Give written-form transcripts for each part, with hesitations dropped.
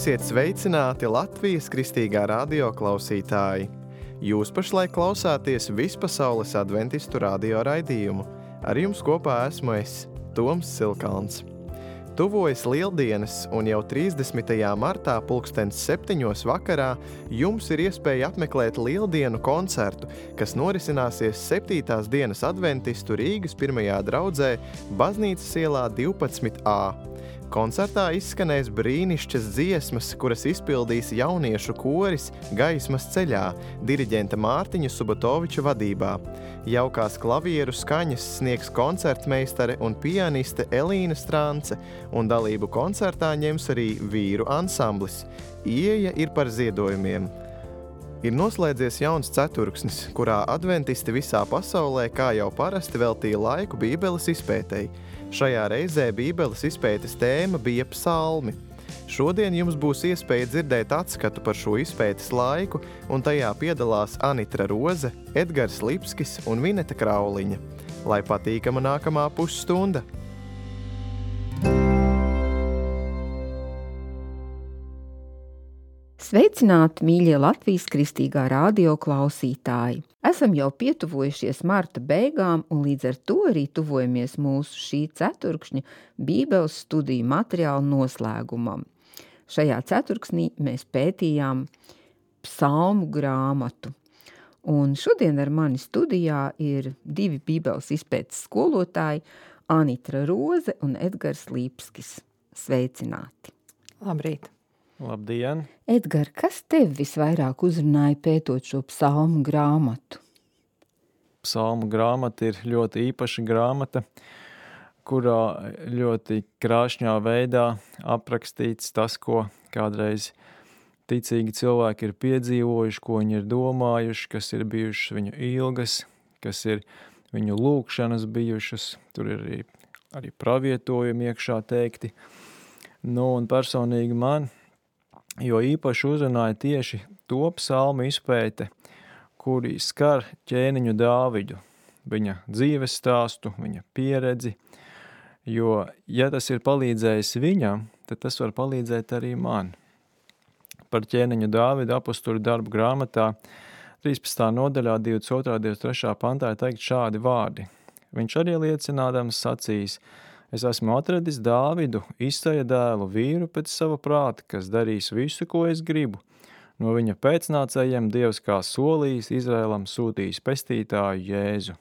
Esiet sveicināti Latvijas Kristīgā radio klausītāji! Jūs pašlaik klausāties Vispasaules adventistu radio raidījumu. Ar jums kopā esmu es, Toms Silkalns. Tuvojas Lieldienas, un jau 30. martā 7:00 vakarā jums ir iespēja apmeklēt Lieldienu koncertu, kas norisināsies 7. dienas adventistu Rīgas 1. draudzē Baznīcas ielā 12A. Koncertā izskanēs brīnišķas dziesmas, kuras izpildīs jauniešu koris Gaismas ceļā, diriģenta Mārtiņa Subotoviča vadībā. Jaukās klavieru skaņas sniegs koncertmeistare un pianiste Elīna Strance, un dalību koncertā ņems arī vīru ansamblis. Ieeja ir par ziedojumiem. Ir noslēdzies jauns ceturksnis, kurā adventisti visā pasaulē, kā jau parasti, veltīja laiku Bībeles izpētei. Šajā reizē Bībeles izpētes tēma bija psalmi. Šodien jums būs iespēja dzirdēt atskatu par šo izpētes laiku, un tajā piedalās Anitra Roze, Edgars Lipskis un Vineta Krauliņa. Lai patīkama nākamā pusstunda! Sveicināti, mīļie Latvijas Kristīgā radio klausītāji! Esam jau pietuvojušies marta beigām, un līdz ar to arī tuvojamies mūsu šī ceturkšņa Bībeles studiju materiālu noslēgumam. Šajā ceturksnī mēs pētījām psalmu grāmatu. Un šodien ar mani studijā ir divi Bībeles izpētes skolotāji, Anitra Roze un Edgars Lipskis. Sveicināti! Labrīt! Labdien! Edgar, kas tev visvairāk uzrunāja pētot šo psalmu grāmatu? Psalmu grāmata ir ļoti īpaša grāmata, kurā ļoti krāšņā veidā aprakstīts tas, ko kādreiz ticīgi cilvēki ir piedzīvojuši, ko viņi ir domājuši, kas ir bijušas viņu ilgas, kas ir viņu lūkšanas bijušas. Tur ir arī pravietojumi iekšā teikti. Un personīgi man jo īpaši uzrunāja tieši to psalmu izpēte, kuri skar ķēniņu Dāvidu, viņa dzīves stāstu, viņa pieredzi, jo, ja tas ir palīdzējis viņam, tad tas var palīdzēt arī man. Par ķēniņu Dāvidu apostoļu darbu grāmatā 13. nodaļā 22. 23. pantā ir teikt šādi vārdi. Viņš arī liecinādams sacīs: Es esmu atradis Dāvidu, Isaja dēlu, vīru pēc sava prāta, kas darīs visu, ko es gribu. No viņa pēcnācējiem Dievs kā solījis Izraēlam sūtījis pestītāju Jēzu.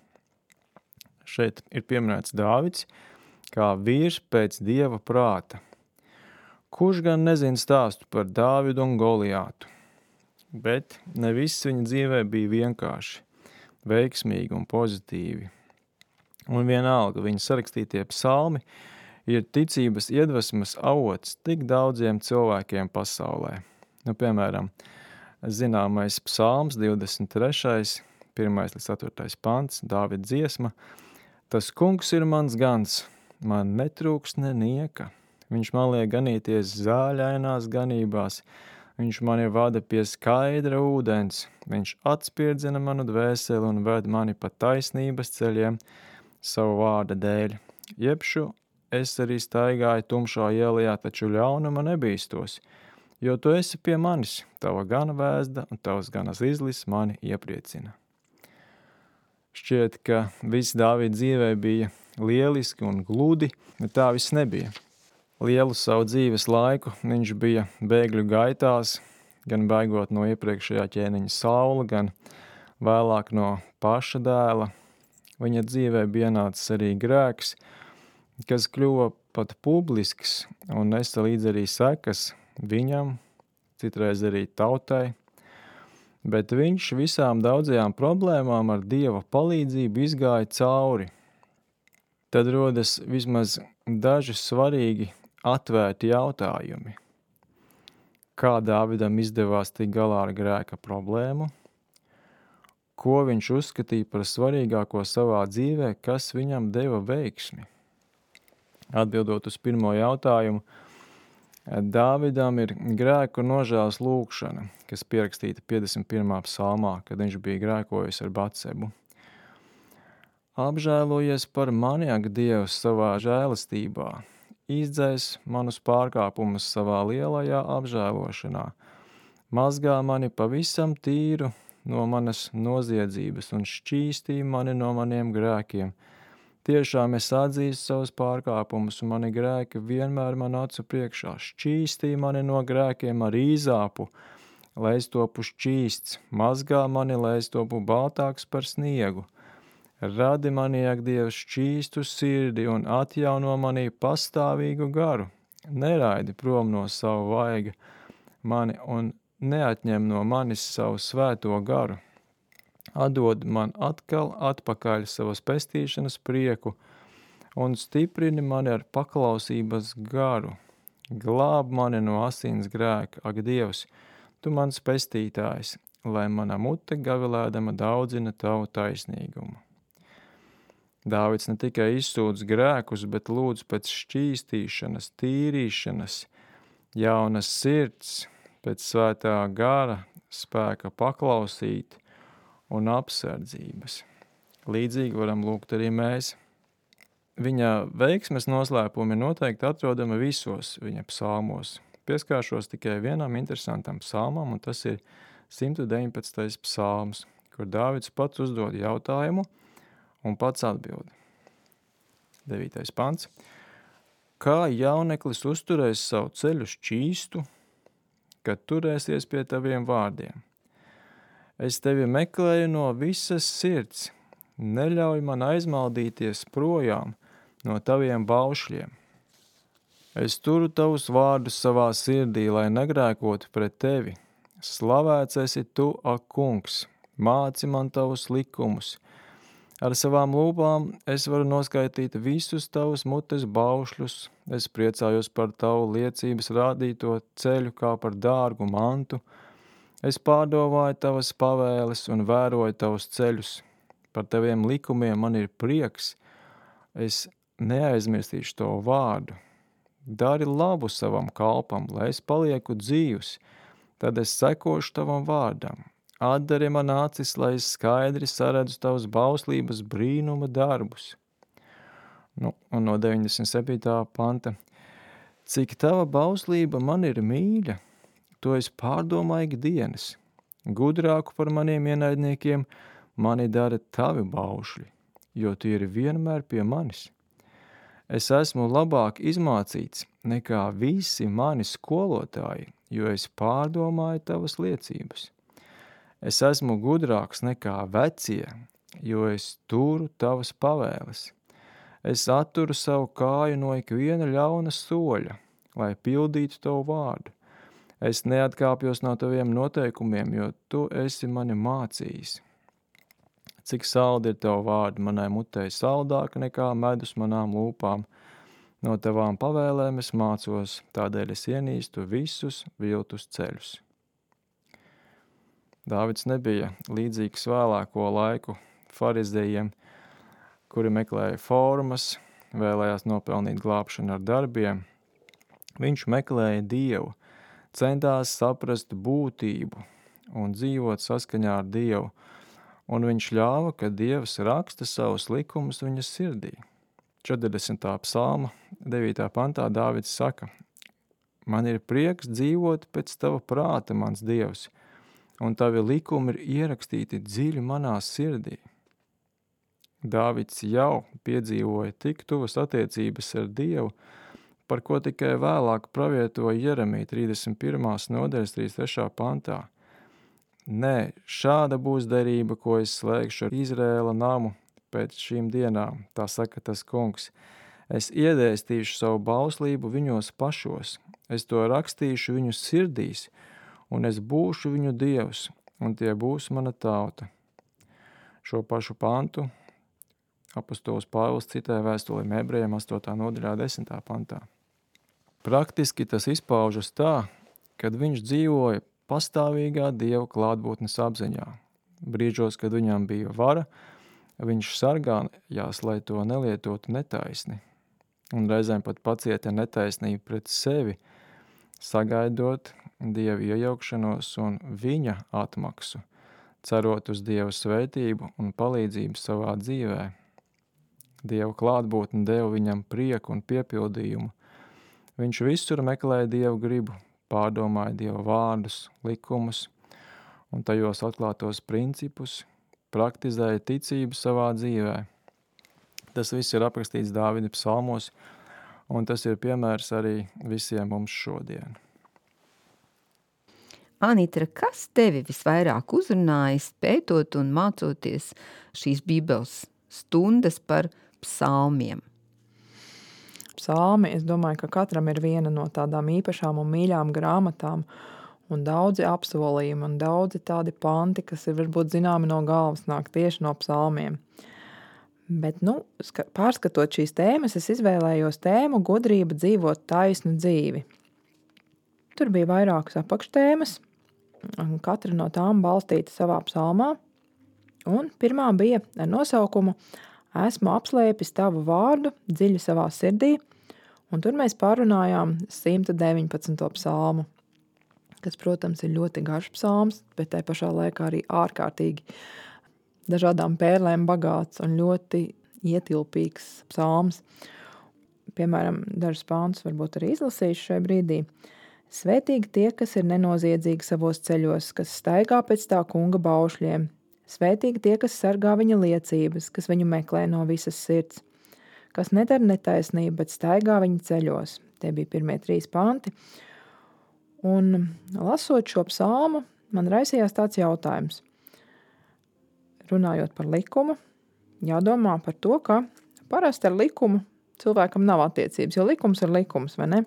Šeit ir pieminēts Dāvids kā vīrs pēc Dieva prāta. Kurš gan nezina stāstu par Dāvidu un Goliātu? Bet ne viss viņa dzīvē bija vienkārši, veiksmīgi un pozitīvi. Un vienalga viņa sarakstītie psalmi ir ticības iedvesmas avots tik daudziem cilvēkiem pasaulē. Piemēram, zināmais psalms 23. 1-4. pants, Dāvida dziesma. Tas kungs ir mans gans, man netrūks nenieka. Viņš man liek ganīties zāļainās ganībās, viņš mani vada pie skaidra ūdens, viņš atspirdzina manu dvēseli un ved mani pa taisnības ceļiem, savu vārda dēļ. Jebšu es arī staigāju tumšā ielajā, taču ļaunuma nebīstos, jo tu esi pie manis, tava gana vēzda un tavas gana zizlis mani iepriecina. Šķiet, ka viss Dāvida dzīvē bija lieliski un gludi, bet tā viss nebija. Lielu savu dzīves laiku viņš bija bēgļu gaitās, gan bēgot no iepriekšējā ķēniņa Saula, gan vēlāk no paša dēla. Viņa dzīvē bija ienācis arī grēks, kas kļuva pat publisks un nesa līdz arī sekas viņam, citreiz arī tautai. Bet viņš visām daudzajām problēmām ar Dieva palīdzību izgāja cauri. Tad rodas vismaz daži svarīgi atvērti jautājumi. Kā Dāvidam izdevās tikt galā ar grēka problēmu? Ko viņš uzskatīja par svarīgāko savā dzīvē, kas viņam deva veiksmi? Atbildot uz pirmo jautājumu, Dāvidam ir grēku nožēlas lūkšana, kas pierakstīta 51. psalmā, kad viņš bija grēkojis ar Batsebu. Apžēlojies par mani, ak Dievs, savā žēlastībā, izdzēs manus pārkāpumus savā lielajā apžēlošanā, mazgā mani pavisam tīru no manas noziedzības un šķīstī mani no maniem grēkiem. Tiešām es atzīstu savus pārkāpumus, un mani grēki vienmēr man acu priekšā. Šķīstī mani no grēkiem ar īzāpu, lai es topu šķīsts, mazgā mani, lai es topu baltāks par sniegu. Radi manī, ak Dievs, šķīstu sirdi un atjauno manī pastāvīgu garu. Neraidi prom no savu vaiga mani un neatņem no manis savu svēto garu. Atdod man atkal atpakaļ savas pestīšanas prieku un stiprini mani ar paklausības garu. Glāb mani no asins grēka, ak Dievs, tu mans pestītājs, lai mana mute gavilēdama daudzina tavu taisnīgumu. Dāvids ne tikai izsūdz grēkus, bet lūdz pēc šķīstīšanas, tīrīšanas, jaunas sirds, pēc svētā gara, spēka paklausīt un apsardzības. Līdzīgi varam lūgt arī mēs. Viņa veiksmes noslēpumi noteikti atrodami visos viņa psalmos. Pieskāršos tikai vienam interesantam psalmam, un tas ir 119. psalms, kur Dāvids pats uzdod jautājumu un pats atbild. 9. pants. Kā jauneklis uzturēs savu ceļu šķīstu, kad turēsies pie taviem vārdiem? Es tevi meklēju no visas sirds, neļauj man aizmaldīties projām no taviem baušļiem. Es turu tavus vārdus savā sirdī, lai negrēkotu pret tevi. Slavēts esi tu, ak kungs, māci man tavus likumus. Ar savām lūpām es varu noskaitīt visus tavus mutes baušļus. Es priecājos par tavu liecības rādīto ceļu kā par dārgu mantu. Es pārdomāju tavas pavēles un vēroju tavus ceļus. Par taviem likumiem man ir prieks. Es neaizmirstīšu tavu vārdu. Dari labu savam kalpam, lai es palieku dzīvs. Tad es sekošu tavam vārdam. Atdari man acis, lai es skaidri saredzu tavas bauslības brīnuma darbus. Un no 97. panta. Cik tava bauslība man ir mīļa, to es pārdomāju ikdienas. Gudrāku par maniem ienaidniekiem mani dara tavi baušļi, jo tie ir vienmēr pie manis. Es esmu labāk izmācīts nekā visi mani skolotāji, jo es pārdomāju tavas liecības. Es esmu gudrāks nekā vecie, jo es turu tavas pavēles. Es atturu savu kāju no ikviena ļauna soļa, lai pildītu tavu vārdu. Es neatkāpjos no taviem noteikumiem, jo tu esi mani mācījis. Cik saldi ir tavu vārdu manai mutei, saldāka nekā medus manām lūpām. No tavām pavēlēm es mācos, tādēļ es ienīstu visus viltus ceļus. Dāvids nebija līdzīgs vēlāko laiku farizējiem, kuri meklēja formas, vēlējās nopelnīt glābšanu ar darbiem. Viņš meklēja Dievu, centās saprast būtību un dzīvot saskaņā ar Dievu, un viņš ļāva, ka Dievs raksta savus likumus viņa sirdī. 40. psalma 9. pantā Dāvids saka: Man ir prieks dzīvot pēc tava prāta, mans Dievs, un tavi likumi ir ierakstīti dziļi manā sirdī. Dāvids jau piedzīvoja tik tuvas attiecības ar Dievu, par ko tikai vēlāk pravietoja Jeremija 31. nodaļas 33. pantā. Nē, šāda būs derība, ko es slēgšu ar Izrēla namu pēc šīm dienām, tā saka tas kungs. Es iedēstīšu savu bauslību viņos pašos, es to rakstīšu viņu sirdīs, un es būšu viņu Dievs, un tie būs mana tauta. Šo pašu pantu apostols Pāvils citē vēstulēm Ebrejiem 8. nodaļā 10. pantā. Praktiski tas izpaužas tā, kad viņš dzīvoja pastāvīgā Dieva klātbūtnes apziņā. Brīžos, kad viņam bija vara, viņš sargājās, lai to nelietotu netaisni, un reizēm pat pacieta netaisnību pret sevi, sagaidot Dieva iejaukšanos un viņa atmaksu, cerot uz Dieva svētību un palīdzību savā dzīvē. Dieva klātbūtne deva viņam prieku un piepildījumu, Viņš visur meklēja Dievu gribu, pārdomāja Dieva vārdus, likumus un tajos atklātos principus, praktizēja ticību savā dzīvē. Tas viss ir aprakstīts Dāvida psalmos, un tas ir piemērs arī visiem mums šodien. Anitra, kas tevi visvairāk uzrunājis, pētot un mācoties šīs Bībeles stundas par psalmiem? Psalmi, es domāju, ka katram ir viena no tādām īpašām un mīļām grāmatām, un daudzi apsolījumi, un daudzi tādi panti, kas ir varbūt zināmi no galvas, nāk tieši no psalmiem. Bet, pārskatot šīs tēmas, es izvēlējos tēmu gudrība dzīvot taisnu dzīvi. Tur bija vairākas apakštēmas, un katra no tām balstīta savā psalmā, un pirmā bija ar nosaukumu Esmu apslēpis tavu vārdu dziļi savā sirdī, un tur mēs pārunājām 119. psalmu, kas, protams, ir ļoti garš psalms, bet tai pašā laikā arī ārkārtīgi dažādām pērlēm bagāts un ļoti ietilpīgs psalms. Piemēram, dažus pāntus varbūt arī izlasīšu šai brīdī. Svētīgi tie, kas ir nenoziedzīgi savos ceļos, kas staigā pēc tā kunga baušļiem. Svētīgi tie, kas sargā viņa liecības, kas viņu meklē no visas sirds, kas nedara netaisnību, bet staigā viņa ceļos. Tie bija pirmie 3 panti. Un lasot šo psalmu, man raisījās tāds jautājums. Runājot par likumu, jādomā par to, ka parasti ar likumu cilvēkam nav attiecības, jo likums ir likums, vai ne?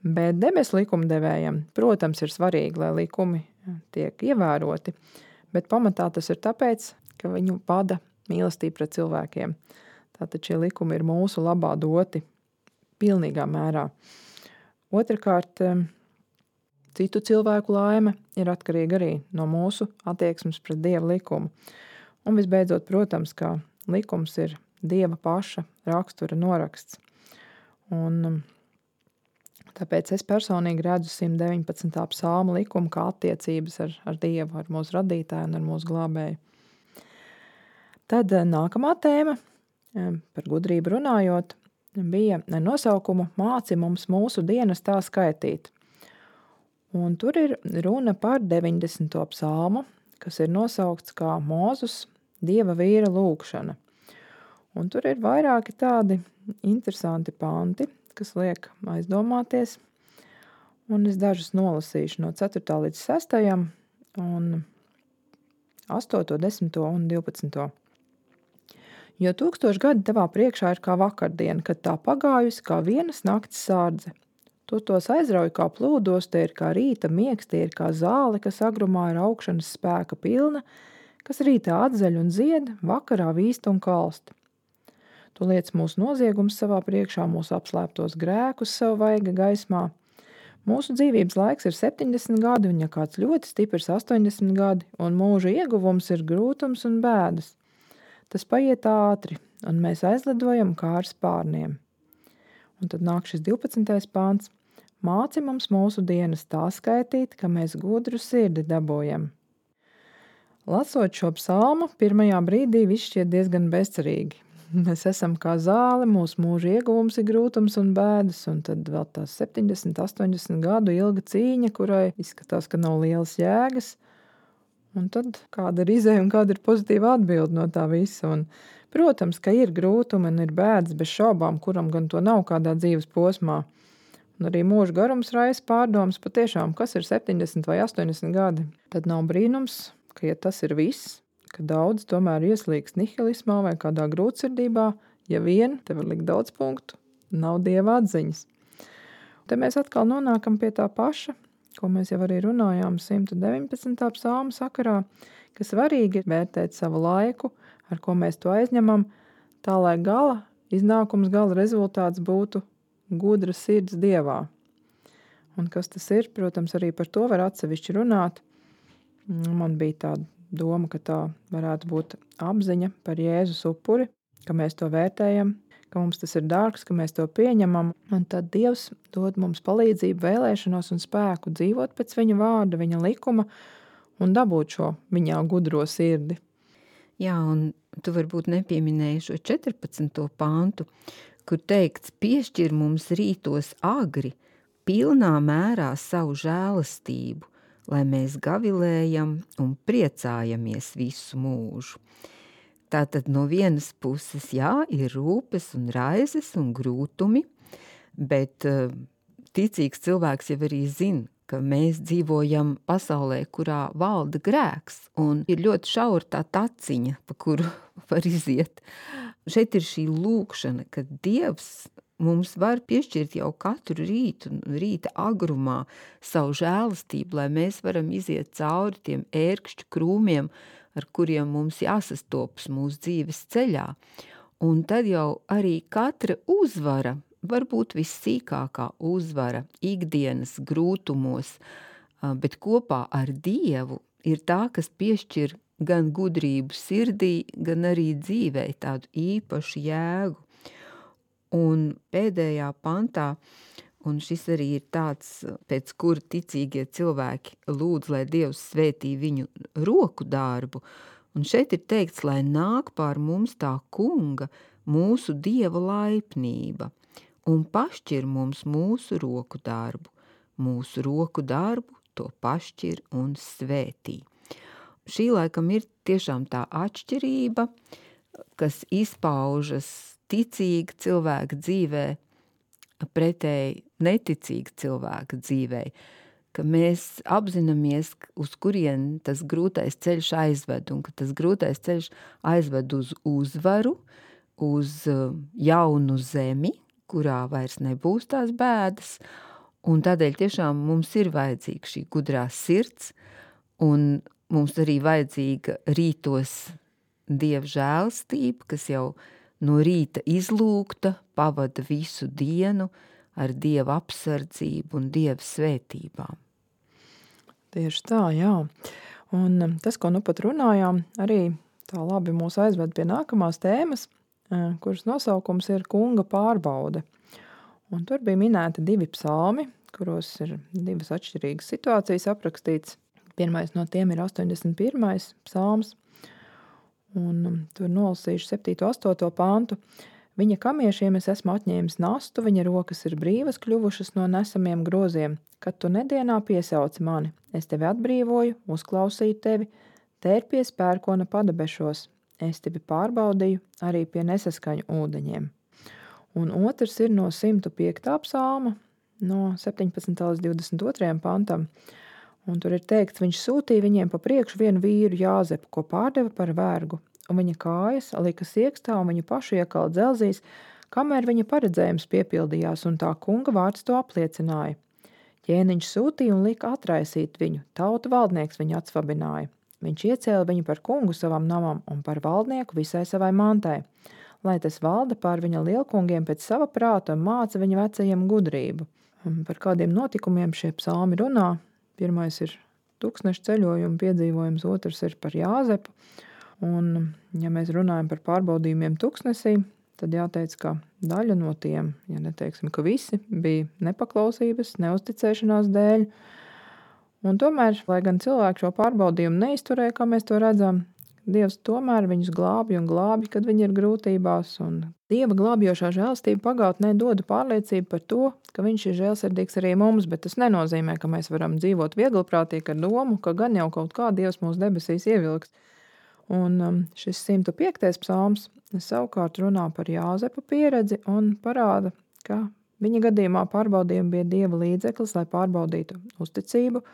Bet debesu likumdevējam, protams, ir svarīgi, lai likumi tiek ievēroti, bet pamatā tas ir tāpēc, ka viņu vada mīlestība pret cilvēkiem. Tātad šie likumi ir mūsu labā doti pilnīgā mērā. Otrakārt, citu cilvēku laime ir atkarīga arī no mūsu attieksmes pret Dieva likumu. Un visbeidzot, protams, ka likums ir Dieva paša rakstura noraksts. Un tāpēc es personīgi redzu 119. psalma likumu kā attiecības ar Dievu, ar mūsu radītāju un ar mūsu glābēju. Tad nākamā tēma, par gudrību runājot, bija nosaukumu Māci mums mūsu dienas tā skaitīt. Un tur ir runa par 90. psalmu, kas ir nosaukts kā Mūzus Dieva vīra lūgšana. Un tur ir vairāki tādi interesanti panti, kas liek aizdomāties, un es dažus nolasīšu no 4. līdz 6. un 8., 10. un 12. Jo 1000 gadi tavā priekšā ir kā vakardiena, kad tā pagājusi kā vienas nakts sārdze. Tu tos aizrauj kā plūdos, tie ir kā rīta miegs, tie ir kā zāle, kas agrumā ir augšanas spēka pilna, kas rītā atzaļ un zied, vakarā vīst un kalst. Tu liec mūsu noziegums savā priekšā, mūsu apslēptos grēkus savu vaiga gaismā. Mūsu dzīvības laiks ir 70 gadi, un ja kāds ļoti stiprs 80 gadi, un mūža ieguvums ir grūtums un bēdas. Tas paiet ātri, un mēs aizlidojam kā ar spārniem. Un tad nāk šis 12. pāns. Māci mums mūsu dienas tā skaitīt, ka mēs gudru sirdi dabojam. Lasot šo psalmu, pirmajā brīdī viss šķiet diezgan bezcerīgi. Mēs esam kā zāle, mūsu mūža ieguvums ir grūtums un bēdas, un tad vēl tās 70, 80 gadu ilga cīņa, kurai izskatās, ka nav lielas jēgas. Un tad kāda ir izēja un kāda ir pozitīva atbilde no tā visa. Un, protams, ka ir grūtumi un ir bēdas bez šaubām, kuram gan to nav kādā dzīves posmā. Un arī mūža garums raisa pārdomas patiešām, kas ir 70 vai 80 gadi. Tad nav brīnums, ka ja tas ir viss, ka daudz tomēr ieslīgs nihilismā vai kādā grūtsirdībā, ja vien te var likt daudz punktu, nav Dieva atziņas. Te mēs atkal nonākam pie tā paša, ko mēs jau arī runājām 119. psalma sakarā, ka svarīgi ir vērtēt savu laiku, ar ko mēs to aizņemam, tā lai gala iznākums, gala rezultāts būtu gudra sirds Dievā. Un kas tas ir, protams, arī par to var atsevišķi runāt. Man bija tāda doma, ka tā varētu būt apziņa par Jēzus upuri, ka mēs to vērtējam, ka mums tas ir dārgs, ka mēs to pieņemam, un tad Dievs dod mums palīdzību, vēlēšanos un spēku dzīvot pēc viņa vārda, viņa likuma un dabūt šo viņā gudro sirdi. Jā, un tu varbūt nepieminēji šo 14. pāntu, kur teikts, piešķir mums rītos agri, pilnā mērā savu žēlastību, lai mēs gavilējam un priecājamies visu mūžu. Tātad no vienas puses, jā, ir rūpes un raizes un grūtumi, bet ticīgs cilvēks jau arī zina, ka mēs dzīvojam pasaulē, kurā valda grēks, un ir ļoti šaura tā taciņa, pa kuru var iziet. Šeit ir šī lūkšana, ka Dievs mums var piešķirt jau katru rītu, rīta agrumā savu žēlastību, lai mēs varam iziet cauri tiem ērkšķu krūmiem, ar kuriem mums jāsastopas mūsu dzīves ceļā. Un tad jau arī katra uzvara, varbūt vissīkākā uzvara ikdienas grūtumos, bet kopā ar Dievu ir tā, kas piešķir gan gudrību sirdī, gan arī dzīvē tādu īpašu jēgu. Un pēdējā pantā, un šis arī ir tāds, pēc kura ticīgie cilvēki lūdz, lai Dievs svētī viņu roku darbu, un šeit ir teikts, lai nāk pār mums tā kunga, mūsu Dieva laipnība, un pašķir mums mūsu roku darbu. Mūsu roku darbu to pašķir un svētī. Šī laikam ir tiešām tā atšķirība, kas izpaužas ticīga cilvēka dzīvē pretēji neticīga cilvēka dzīvē, ka mēs apzināmies, uz kurien tas grūtais ceļš aizved, un ka tas grūtais ceļš aizved uz uzvaru, uz jaunu zemi, kurā vairs nebūs tās bēdas, un tādēļ tiešām mums ir vajadzīga šī gudrā sirds, un mums arī vajadzīga rītos Dieva žēlastība, kas jau no rīta izlūgta, pavada visu dienu ar Dieva apsardzību un Dieva svētībām. Tieši tā, jā. Un tas, ko nu pat runājām, arī tā labi mūs aizved pie nākamās tēmas, kuras nosaukums ir Kunga pārbaude. Un tur bija minēti 2 psalmi, kuros ir 2 atšķirīgas situācijas aprakstīts. Pirmais no tiem ir 81. psalms, un tur nolasīšu 7. 8. pantu. Viņa kamiešiem es esmu atņēmis nastu, viņa rokas ir brīvas kļuvušas no nesamiem groziem. Kad tu nedienā piesauci mani, es tevi atbrīvoju, uzklausīju tevi, tērpies pērkona padebešos. Es tevi pārbaudīju arī pie nesaskaņu ūdeņiem. Un otrs ir no 105. psalma, no 17. līdz 22. pantam. Un tur ir teikts, viņš sūtīja viņiem pa priekšu vienu vīru Jāzepu, ko pārdeva par vergu. Un viņa kājas lika siekstā un viņu pašu iekala dzelzīs, kamēr viņa paredzējums piepildījās, un tā kunga vārds to apliecināja. Ķēniņš sūtīja un lika atraisīt viņu, tautu valdnieks viņu atsvabināja. Viņš iecēla viņu par kungu savam namam un par valdnieku visai savai mantai, lai tas valda pār viņa lielkungiem pēc sava prāta un māca viņa vecajiem gudrību. Un par kādiem notikumiem šie psalmi runā. Pirmais ir tūkstneša ceļojuma piedzīvojums, otrs ir par Jāzepu. Un, ja mēs runājam par pārbaudījumiem tūkstnesī, tad jāteic, ka daļa no tiem, ja neteiksim, ka visi, bija nepaklausības, neuzticēšanās dēļ. Un tomēr, lai gan cilvēki šo pārbaudījumu neizturēja, kā mēs to redzam, Dievs tomēr viņus glābj un glābj, kad viņi ir grūtībās. Un Dieva glābjošā žēlastība pagātnē dod pārliecību par to, ka viņš ir žēlsirdīgs arī mums, bet tas nenozīmē, ka mēs varam dzīvot viegliprātīgi ar domu, ka gan jau kaut kā Dievs mūs debesīs ievilks. Un šis 105. psalms savukārt runā par Jāzepa pieredzi un parāda, ka viņa gadījumā pārbaudījumi bija Dieva līdzeklis, lai pārbaudītu uzticību,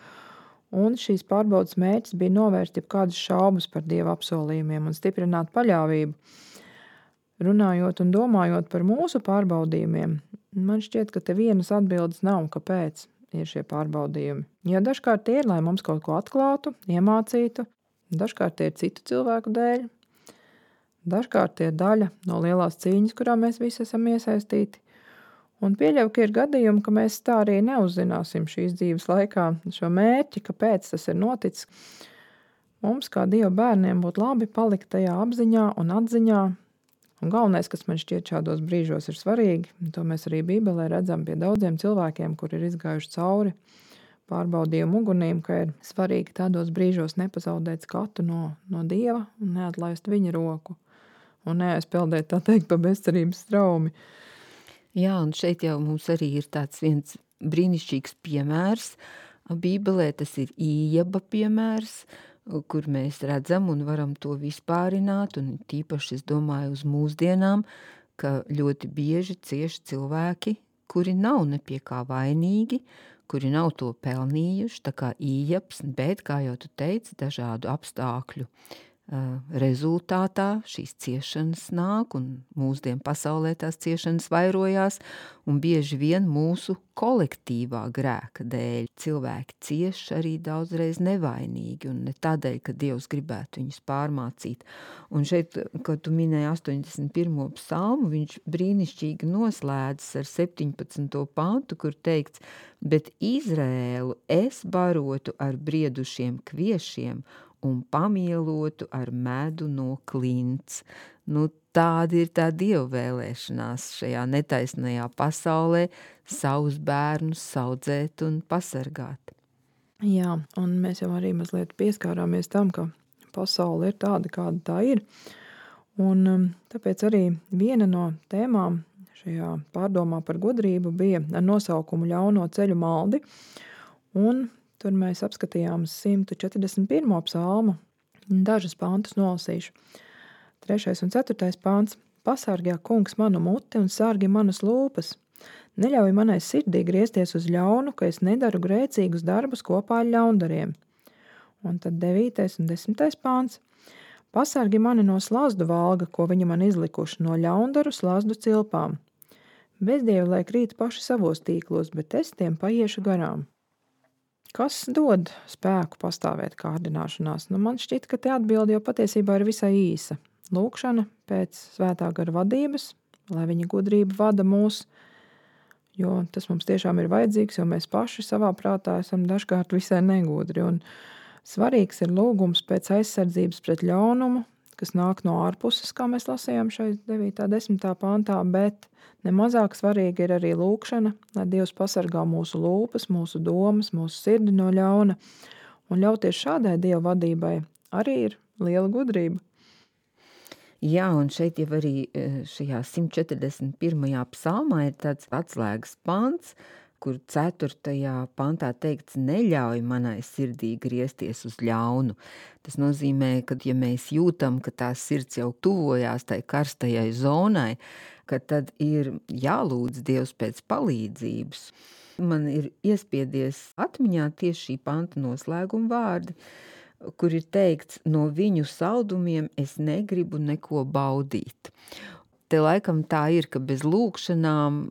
un šīs pārbaudas mērķis bija novērst jebkādas šaubas par Dieva apsolījumiem un stiprināt paļāvību. Runājot un domājot par mūsu pārbaudījumiem, man šķiet, ka te vienas atbildes nav, kāpēc ir šie pārbaudījumi. Ja dažkārt tie ir, lai mums kaut ko atklātu, iemācītu, dažkārt tie ir citu cilvēku dēļ, dažkārt tie ir daļa no lielās cīņas, kurā mēs visi esam iesaistīti. Un pieļauju, ka ir gadījumi, ka mēs tā arī neuzzināsim šīs dzīves laikā šo mērķi, kāpēc tas ir noticis. Mums, kā Dieva bērniem, būtu labi palikt tajā apziņā un atziņā. Un galvenais, kas man šķiet šādos brīžos ir svarīgi, un to mēs arī Bībelē redzam pie daudziem cilvēkiem, kur ir izgājuši cauri pārbaudījumu ugunīm, ka ir svarīgi tādos brīžos nepazaudēt skatu no Dieva un neatlaist viņa roku un neaizpeldēt, tā teikt, pa bezcerības straumi. Jā, un šeit jau mums arī ir tāds viens brīnišķīgs piemērs. Bībelē tas ir Ījaba piemērs, kur mēs redzam un varam to vispārināt, un tīpaši es domāju uz mūsdienām, ka ļoti bieži cieši cilvēki, kuri nav ne pie kā vainīgi, kuri nav to pelnījuši, tā kā Ījabs, bet, kā jau tu teici, dažādu apstākļu rezultātā šīs ciešanas nāk, un mūsdienu pasaulē tās ciešanas vairojās, un bieži vien mūsu kolektīvā grēka dēļ cilvēki cieš arī daudzreiz nevainīgi, un ne tādēļ, ka Dievs gribētu viņus pārmācīt. Un šeit, kad tu minēji 81. psalmu, viņš brīnišķīgi noslēdzas ar 17. pantu, kur teikts, bet Izrēlu es barotu ar briedušiem kviešiem un pamielotu ar medu no klints. Tāda ir tā Dieva vēlēšanās šajā netaisnajā pasaulē savus bērnus saudzēt un pasargāt. Jā, un mēs jau arī mazliet pieskārāmies tam, ka pasaule ir tāda, kāda tā ir. Un tāpēc arī viena no tēmām šajā pārdomā par gudrību bija ar nosaukumu Ļauno ceļu maldi. Un tur mēs apskatījām 141. psalmu, dažas pantus nolasīšu. 3. un 4. pants. Pasargā kungs manu muti un sargi manas lūpas. Neļauj manai sirdī griezties uz ļaunu, ka es nedaru grēcīgus darbus kopā ar ļaundariem. Un tad 9. un 10. pants. Pasargi mani no slazdu valga, ko viņi man izlikuši, no ļaundaru slazdu cilpām. Bezdievi, lai krīt paši savos tīklos, bet es tiem paiešu garām. Kas dod spēku pastāvēt kārdināšanās? Man šķiet, ka te atbilde jau patiesībā ir visai īsa. Lūkšana pēc svētā gara vadības, lai viņa gudrība vada mūs, jo tas mums tiešām ir vajadzīgs, jo mēs paši savā prātā esam dažkārt visai negudri. Un svarīgs ir lūgums pēc aizsardzības pret ļaunumu, kas nāk no ārpuses, kā mēs lasījām šai 9. 10. pantā, bet nemazāk svarīgi ir arī lūkšana, lai Dievs pasargā mūsu lūpas, mūsu domas, mūsu sirdi no ļauna, un ļauties šādai Dieva vadībai arī ir liela gudrība. Jā, un šeit jau arī šajā 141. psalmā ir tāds atslēgas pants, kur 4. pantā teikts, neļauj manai sirdī griezties uz ļaunu. Tas nozīmē, ka ja mēs jūtam, ka tā sirds jau tuvojās tai karstajai zonai, ka tad ir jālūdz Dievs pēc palīdzības. Man ir iespiedies atmiņā tieši šī panta noslēguma vārdi, kur ir teikts, no viņu saldumiem es negribu neko baudīt. Te laikam tā ir, ka bez lūkšanām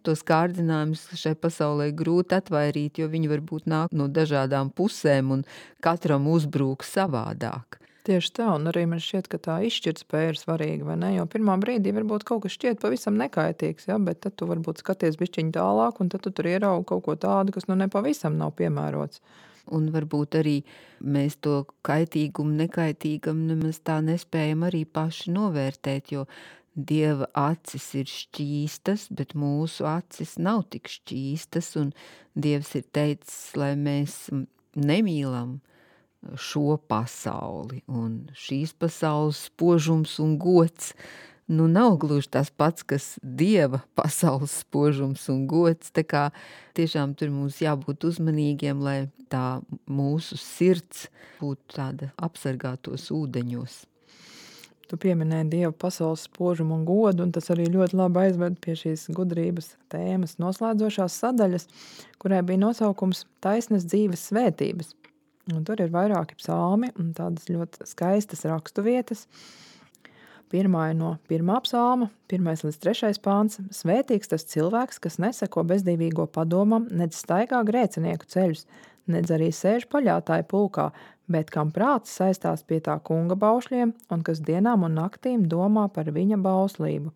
tos kārdinājumus šai pasaulē grūti atvairīt, jo viņi varbūt nāk no dažādām pusēm un katram uzbrūk savādāk. Tieši tā, un arī man šķiet, ka tā izšķirtspēja ir svarīga, vai ne? Jo pirmā brīdī varbūt kaut kas šķiet pavisam nekaitīgs, ja? Bet tad tu varbūt skaties bišķiņ tālāk, un tad tu tur ieraugi kaut ko tādu, kas nepavisam nav piemērots. Un varbūt arī mēs to kaitīgumu, nekaitīgam nemaz tā nespējam arī paši novērtēt, jo Dieva acis ir šķīstas, bet mūsu acis nav tik šķīstas, un Dievs ir teicis, lai mēs nemīlam šo pasauli, un šīs pasaules spožums un gods, nav gluži tas pats, kas Dieva pasaules spožums un gods, tā kā tiešām tur mums jābūt uzmanīgiem, lai tā mūsu sirds būtu tāda apsargātos ūdeņos. Tu pieminēji Dieva pasaules spožumu un godu, un tas arī ļoti labi aizved pie šīs gudrības tēmas noslēdzošās sadaļas, kurai bija nosaukums Taisnas dzīves svētības. Un tur ir vairāki psalmi un tādas ļoti skaistas raksturvietas. Pirmā ir no 1. psalma, 1. līdz 3. pāns. Svētīgs tas cilvēks, kas neseko bezdīvīgo padomam, nedz staigā grēcinieku ceļus, nedz arī sēž paļātāju pulkā, bet kam prāts saistās pie tā kunga baušļiem un kas dienām un naktīm domā par viņa bauslību.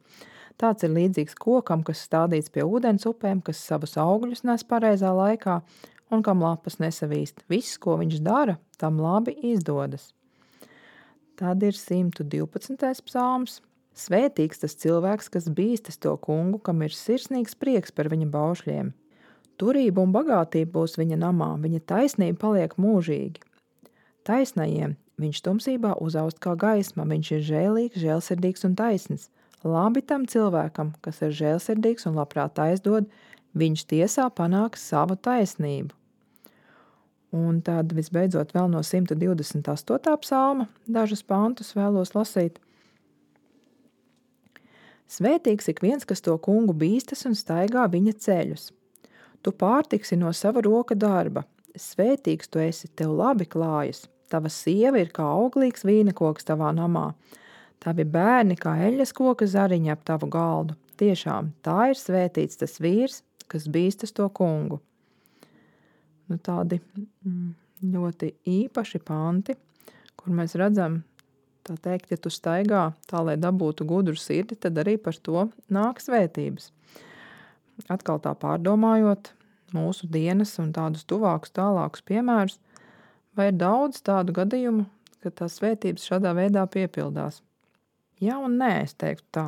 Tāds ir līdzīgs kokam, kas stādīts pie ūdens upēm, kas savus augļus nes pareizā laikā un kam lapas nesavīst. Viss, ko viņš dara, tam labi izdodas. Tad ir 112. psalms. Svētīgs tas cilvēks, kas bīstas to kungu, kam ir sirsnīgs prieks par viņa baušļiem. Turība un bagātība būs viņa namā, viņa taisnība paliek mūžīgi. Taisnajiem viņš tumsībā uzaust kā gaisma, viņš ir žēlīgs, žēlsirdīgs un taisns. Labi tam cilvēkam, kas ir žēlsirdīgs un labprāt aizdod, viņš tiesā panāks savu taisnību. Un tad visbeidzot vēl no 128. psalma dažus pantus vēlos lasīt. Svētīgs ik viens, kas to kungu bīstas un staigā viņa ceļus. Tu pārtiksi no sava roka darba. Svētīgs tu esi, tev labi klājas. Tava sieva ir kā auglīgs vīnekoks tavā namā. Tavi bērni kā eļas koka zariņa ap tavu galdu. Tiešām, tā ir svētīts tas vīrs, kas bīstas to kungu. Tādi ļoti īpaši panti, kur mēs redzam, tā teikt, ja tu staigā tā, lai dabūtu gudru sirdi, tad arī par to nāk svētības. Atkal tā pārdomājot mūsu dienas un tādus tuvākus, tālākus piemērus, vai ir daudz tādu gadījumu, ka tās svētības šādā veidā piepildās? Jā un nē, es teiktu tā.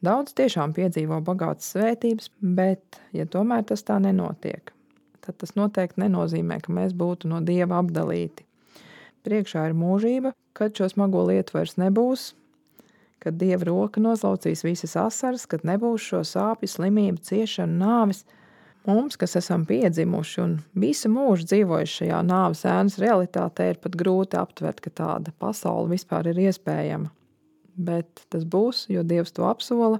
Daudz tiešām piedzīvo bagātas svētības, bet, ja tomēr tas tā nenotiek, tad tas noteikti nenozīmē, ka mēs būtu no Dieva apdalīti. Priekšā ir mūžība, kad šo smago lietu vairs nebūs, kad Dieva roka noslaucīs visas asaras, kad nebūs šo sāpju, slimību, ciešanu, nāvis. Mums, kas esam piedzimuši un visu mūžu dzīvojuši šajā nāves ēnas realitātē, ir pat grūti aptvert, ka tāda pasaule vispār ir iespējama. Bet tas būs, jo Dievs to apsola,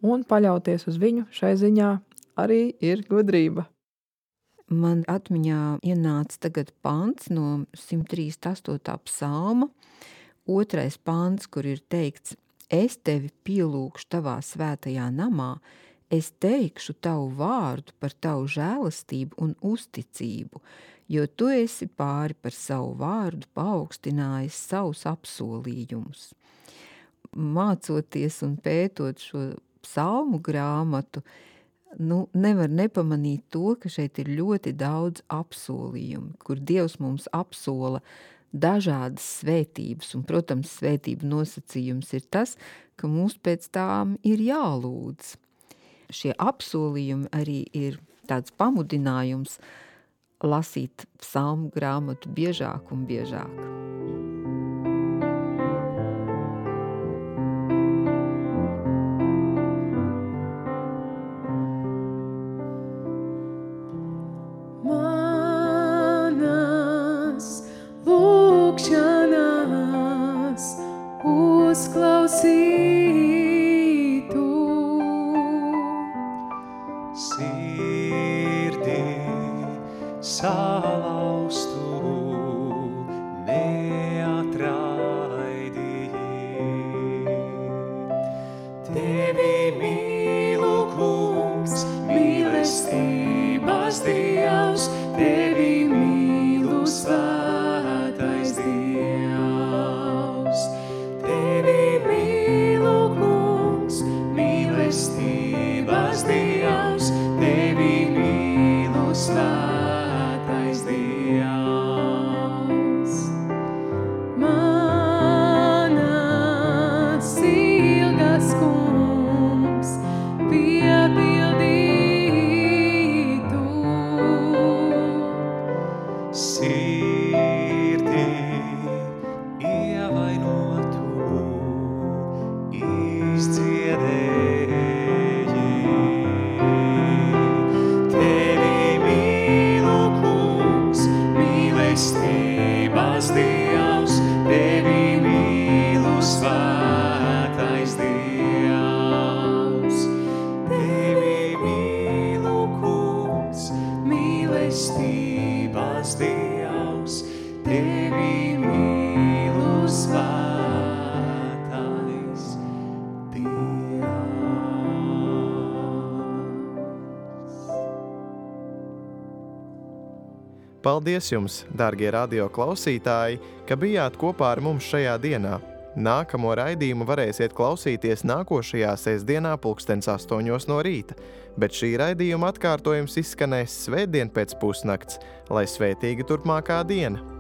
un paļauties uz viņu šai ziņā arī ir gudrība. Man atmiņā ienāca tagad pants no 138. psalma, 2. pants, kur ir teikts: Es tevi pielūgšu tavā svētajā namā, es teikšu tavu vārdu par tavu žēlastību un uzticību, jo tu esi pāri par savu vārdu paaugstinājis savus apsolījumus. Mācoties un pētot šo psalmu grāmatu, nevar nepamanīt to, ka šeit ir ļoti daudz apsolījumu, kur Dievs mums apsola dažādas svētības, un, protams, svētību nosacījums ir tas, ka mums pēc tām ir jālūdz. Šie apsolījumi arī ir tāds pamudinājums lasīt psalmu grāmatu biežāk un biežāk. Paldies jums, dārgie radio klausītāji, ka bijāt kopā ar mums šajā dienā. Nākamo raidījumu varēsiet klausīties nākošajā sestdienā 8:00 no rīta, bet šī raidījuma atkārtojums izskanēs svētdien pēc pusnakts, lai svētīga turpmākā diena.